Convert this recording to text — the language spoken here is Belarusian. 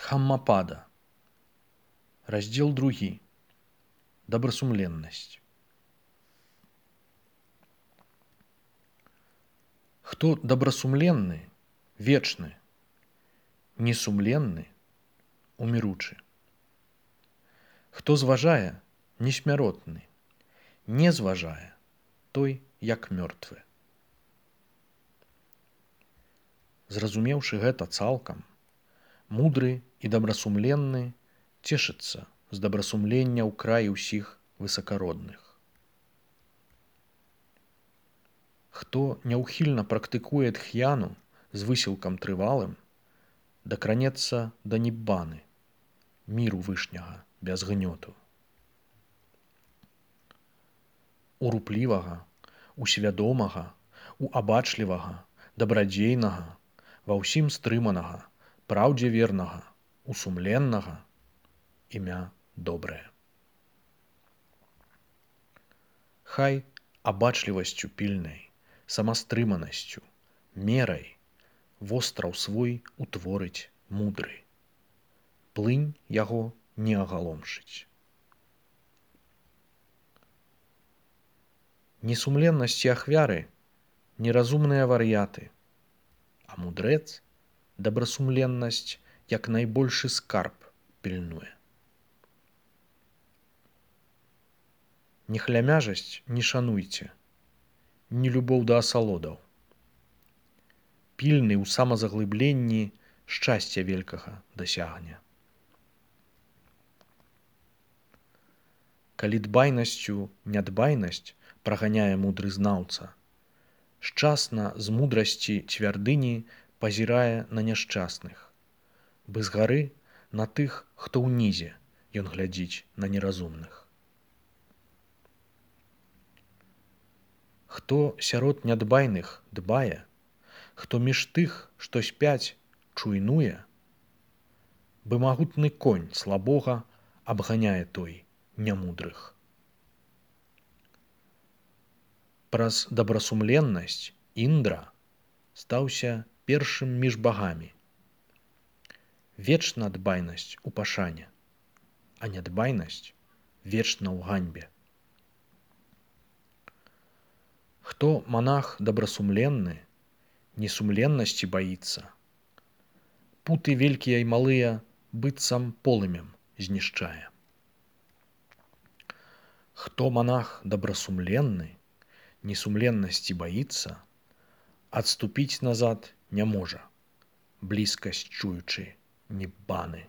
Дхаммапада. Раздзел 2. Добрасумленнасць. Хто добрасумленны, вечны, несумленны, уміручы. Хто зважае, несмяротны, не зважае, той як мёртвы. Зразумеўшы гэта цалкам, мудры і добрасумленны цешыцца з добрасумлення ў краі ўсіх высакародных. Хто няўхільна практыкуе дхьяну з высілкам трывалым, дакранецца да ніббаны, міру вышняга без гнёту. У руплівага, у свядомага, у абачлівага, дабрадзейнага, ва ўсім стрыманага, праўдзе вернага, у сумленнага імя добрае. Хай абачлівасцю пільнай, самастрыманасцю, мерай востраў свой утворыць мудры. Плынь яго не агаломшыць. Несумленнасць і ахвяры неразумныя вар'яты, а мудрэц добрасумленнасць як найбольшы скарб пільнуе. Нехлямяжасць не шануйце, ні любоў да асалодаў. Пільны ў самазаглыбленні шчасця великага дасягне. Калі дбайнасцю нядбайнасць праганяе мудры знаўца, шчасна з мудрасці цвярдыні пазірае на няшчасных, бы згары на тых, хто ўнізе ён глядзіць на неразумных. Хто сярод нядбайных дбае, хто між тых, што спяць, чуйнуе, бы магутны конь слабога абганяе той нямудрых. Праз добрасумленнасць Індра стаўся першым між багамі. Вечна дбайнасць у пашане, а нядбайнасць вечна ў ганьбе. Хто манах добрасумленны, несумленнасці баіцца, путы велькія і малыя быццам полымем знішчае. Хто монах добрасумленны, несумленнасці баіцца, адступіць назад не можа, блізкасць чуючы ніббаны.